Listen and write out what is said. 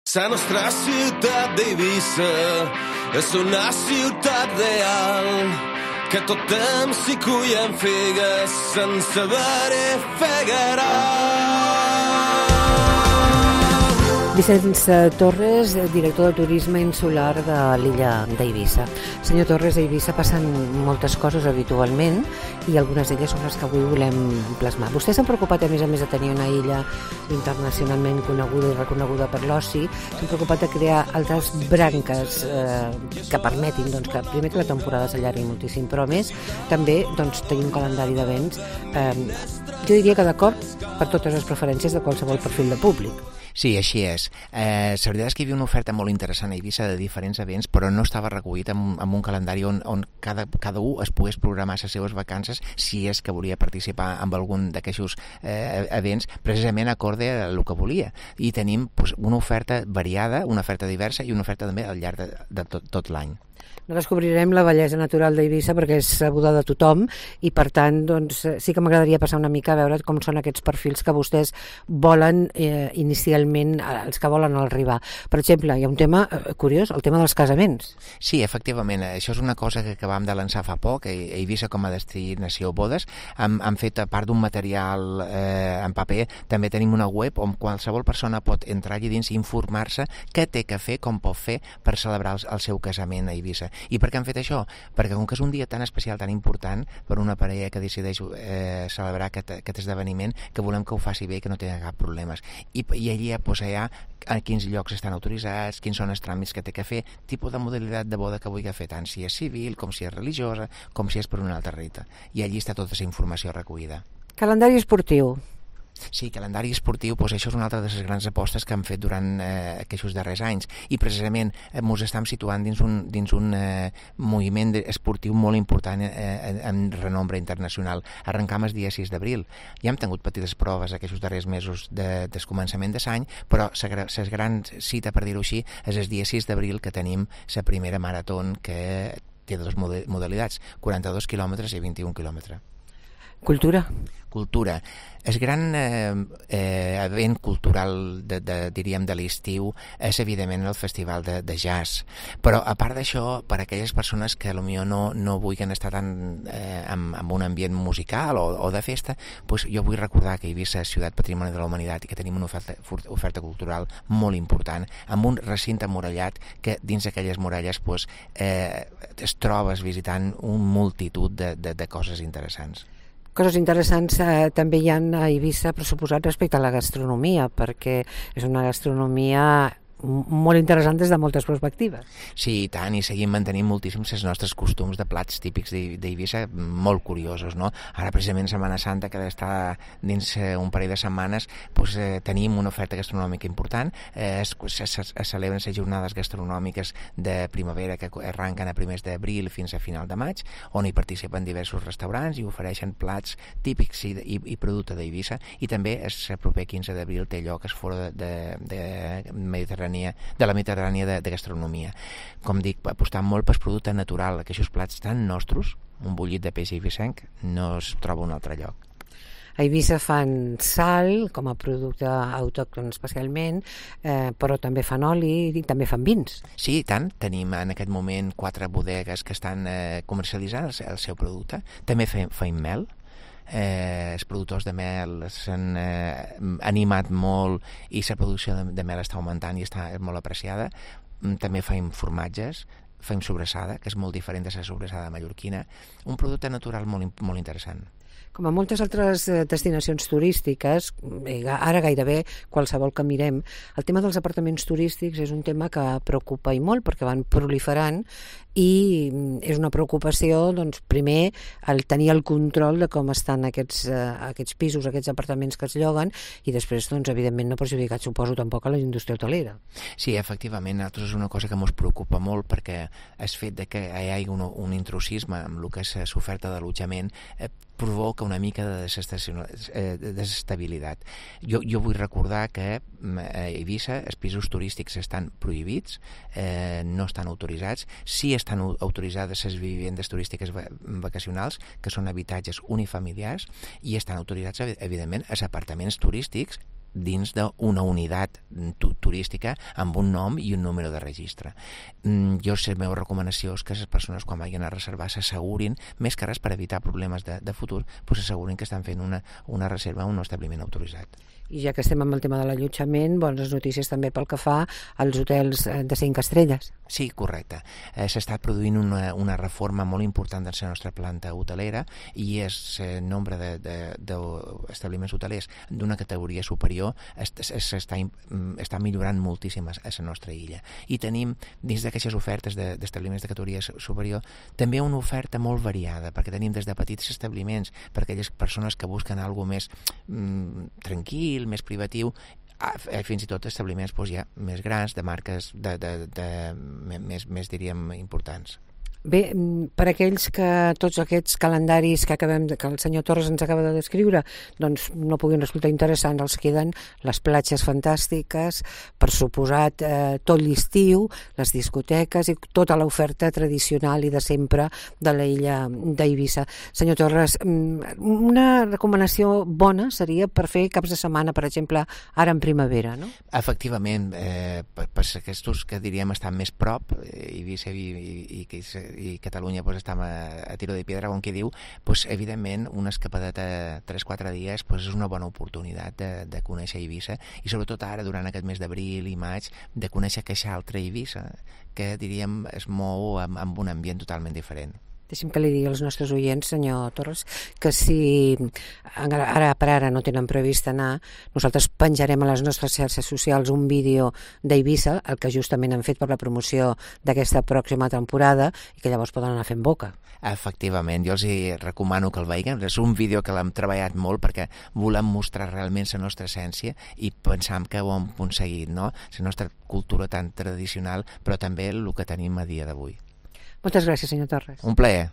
La nostra ciutat d'Eivissa és una ciutat real que tot temps s'hi cullen figues sense haver-hi fegarà. Vicenç Torres, director de turisme insular de l'illa d'Eivissa. Senyor Torres, a Eivissa passen moltes coses habitualment i algunes d'elles són les que avui volem plasmar. Vostès s'han preocupat, a més de tenir una illa internacionalment coneguda i reconeguda per l'oci, s'han preocupat de crear altres branques que permetin que primer que la temporada s'allargui moltíssim, però a més també tenir un calendari d'events, jo diria que d'acord per totes les preferències de qualsevol perfil de públic. Sí, així és. La veritat és que hi havia una oferta molt interessant a Eivissa de diferents events, però no estava recollit en un calendari on cada un es pogués programar les seves vacances si és que volia participar en algun d'aquests events, precisament acorde al que volia. I tenim una oferta variada, una oferta diversa i una oferta també al llarg de tot l'any. No descobrirem la bellesa natural d'Eivissa perquè és sabuda de tothom i per tant sí que m'agradaria passar una mica a veure com són aquests perfils que vostès volen inicialment, els que volen arribar. Per exemple, hi ha un tema curiós, el tema dels casaments. Sí, efectivament, això és una cosa que acabam de lançar fa poc, a Eivissa com a destinació bodes, han fet a part d'un material en paper, també tenim una web on qualsevol persona pot entrar allà dins i informar-se què té que fer, com pot fer per celebrar el seu casament a Eivissa. I per què han fet això? Perquè com que és un dia tan especial, tan important per una parella que decideix celebrar aquest esdeveniment, que volem que ho faci bé i que no tingui cap problemes. I allà hi ha a quins llocs estan autoritzats, quins són els tràmits que té que fer, tipus de modalitat de boda que vulgui fer, tant si és civil, com si és religiosa, com si és per una altra rita. I allí està tota aquesta informació recollida. Calendari esportiu. Sí, calendari esportiu, això és una altra de les grans apostes que han fet durant aquests darrers anys i precisament ens estem situant dins un moviment esportiu molt important en renombre internacional. Arrencam el dia 6 d'abril. Ja hem tingut petites proves aquests darrers mesos del començament de l'any, però la gran cita, per dir-ho així, és el dia 6 d'abril que tenim la primera marató que té dues modalitats, 42 quilòmetres i 21 quilòmetres. Cultura. El gran event cultural diríem de l'estiu és evidentment el festival de jazz, però a part d'això, per a aquelles persones que potser no vulguin estar tan en un ambient musical o de festa, jo vull recordar que Eivissa és ciutat patrimoni de la humanitat i que tenim una oferta cultural molt important, amb un recinte murallat que dins d'aquelles muralles es trobes visitant una multitud de coses interessants. Coses interessants també hi ha a Eivissa pressuposat respecte a la gastronomia, perquè és una gastronomia molt interessant des de moltes perspectives. Sí, i tant, i seguim mantenint moltíssims els nostres costums de plats típics d'Eivissa, molt curiosos, no? Ara, precisament, Setmana Santa, que ha d'estar dins un parell de setmanes, tenim una oferta gastronòmica important, es celebren les jornades gastronòmiques de primavera que arrenquen a primers d'abril fins a final de maig, on hi participen diversos restaurants i ofereixen plats típics i producte d'Eivissa, i també el proper 15 d'abril té lloc el Foro de la Mediterrània de gastronomia. Com dic, apostant molt per producte natural, aquests plats tan nostres, un bullit de peix eivissenc, no es troba un altre lloc. A Eivissa fan sal com a producte autòcton especialment, però també fan oli i també fan vins. Sí, i tant. Tenim en aquest moment 4 bodegues que estan comercialitzant el seu producte. També feim mel. Els productors de mel s'han animat molt i la producció de mel està augmentant i està molt apreciada. També feim formatges, feim sobrassada, que és molt diferent de la sobrassada mallorquina. Un producte natural molt interessant. Com a moltes altres destinacions turístiques, ara gairebé qualsevol que mirem, el tema dels apartaments turístics és un tema que preocupa i molt perquè van proliferant i és una preocupació, primer, el tenir el control de com estan aquests pisos, aquests apartaments que es lloguen i després, evidentment, no perjudicat, suposo, tampoc a la indústria hotelera. Sí, efectivament, a nosaltres és una cosa que ens preocupa molt perquè el fet que hi hagi un intrusisme amb el que és l'oferta d'allotjament provoca una mica de desestabilitat. Jo vull recordar que a Eivissa els pisos turístics estan prohibits, no estan autoritzats. Sí estan autoritzades les vivendes turístiques vacacionals, que són habitatges unifamiliars, i estan autoritzats, evidentment, els apartaments turístics dins d'una unitat turística amb un nom i un número de registre. Jo, la meva recomanació és que les persones quan vagin a reservar s'assegurin, més que res per evitar problemes de futur, s'assegurin que estan fent una reserva en un establiment autoritzat. I ja que estem amb el tema de l'allotjament, bones notícies també pel que fa als hotels de 5 estrelles. Sí, correcte. S'està produint una reforma molt important de la nostra planta hotelera i el nombre d'establiments hotelers d'una categoria superior està millorant moltíssim a la nostra illa. I tenim, dins d'aquestes ofertes d'establiments de categoria superior, també una oferta molt variada, perquè tenim des de petits establiments per a aquelles persones que busquen alguna més tranquil, més privatiu, fins i tot establiments ja més grans, de marques més diríem, importants. Bé, per aquells que tots aquests calendaris que el senyor Torres ens acaba de descriure doncs no puguin resultar interessants, els queden les platges fantàstiques, per suposat tot l'estiu, les discoteques i tota l'oferta tradicional i de sempre de l'illa d'Eivissa. Senyor Torres, una recomanació bona seria per fer caps de setmana, per exemple, ara en primavera, no? Efectivament, per aquests que diríem estan més prop, Eivissa i Catalunya estem a tiro de piedra, com qui diu, evidentment una escapadeta 3-4 dies és una bona oportunitat de conèixer Eivissa i sobretot ara, durant aquest mes d'abril i maig, de conèixer aquesta altra Eivissa que diríem es mou amb un ambient totalment diferent. Deixi'm que li digui als nostres oients, senyor Torres, que si ara per ara no tenen previst anar, nosaltres penjarem a les nostres xarxes socials un vídeo d'Eivissa, el que justament han fet per la promoció d'aquesta pròxima temporada i que llavors poden anar fent boca. Efectivament, jo els recomano que el vegin. És un vídeo que l'hem treballat molt perquè volem mostrar realment la nostra essència i pensam que ho hem aconseguit, no? La nostra cultura tan tradicional, però també el que tenim a dia d'avui. Moltes gràcies, senyor Torres. Un plaer.